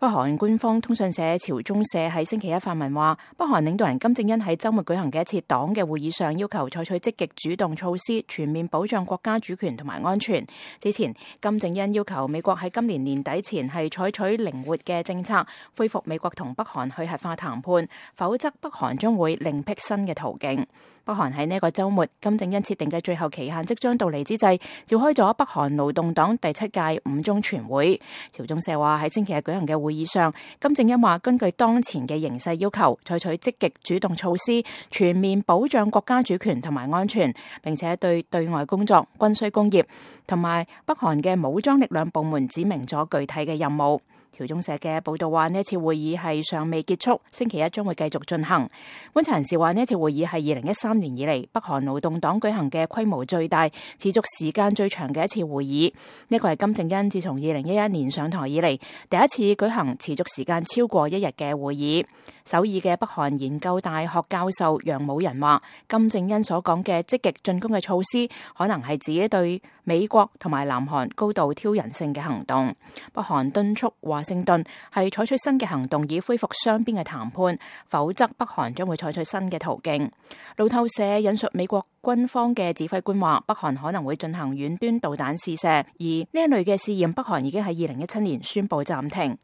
北韓官方通訊社朝中社喺星期一發文話，北韓領導人金正恩喺週末舉行嘅一次黨嘅會議上，要求採取積極主動措施，全面保障國家主權同埋安全。之前，金正恩要求美國喺今年年底前係採取靈活嘅政策，恢復美國同北韓去核化談判，否則北韓將會另闢新嘅途徑。北韓喺呢個週末，金正恩設定嘅最後期限即將到嚟之際，召開咗北韓勞動黨第7屆5中全會。朝中社話喺星期日舉行嘅會議上，金正恩話根據當前嘅形勢要求，採取積極主動措施，全面保障國家主權同埋安全，並且對外工作、軍需工業同埋北韓嘅武裝力量部門指明咗具體嘅任務。朝中社嘅報道話，呢一次會議係尚未結束，星期一將會繼續進行。觀察人士話，呢一次會議係2013年以嚟北韓勞動黨舉行嘅規模最大、持續時間最長嘅一次會議。呢個係金正恩自從2011年上台以嚟第一次舉行持續時間超過1日嘅會議。首爾嘅北韓研究大學教授楊武仁話，金正恩所講嘅積極進攻嘅措施，可能係指對美國同埋南韓高度挑釁性嘅行動。北韓敦促華盛頓係採取新嘅行動，以恢復雙邊嘅談判，否則北韓將會採取新嘅途徑。路透社引述美國軍方嘅指揮官話，北韓可能會進行遠端導彈試射，而呢一類嘅試驗，北韓已經喺2017年宣布暫停。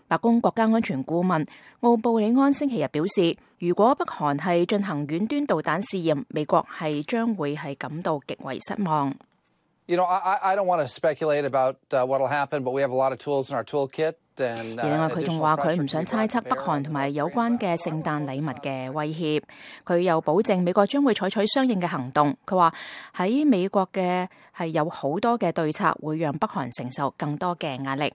白宮國家安全顧問奧布里安星期日表示，如果北韓係進行遠端導彈試驗，美國係將會係感到極為失望。I don't want to speculate about what will happen, but we have a lot of tools in our toolkit. 而另外，佢仲話佢唔想猜測北韓同埋有關嘅聖誕禮物嘅威脅。佢又保證美國將會採取相應嘅行動。佢話喺美國嘅係有好多嘅對策，會讓北韓承受更多嘅壓力。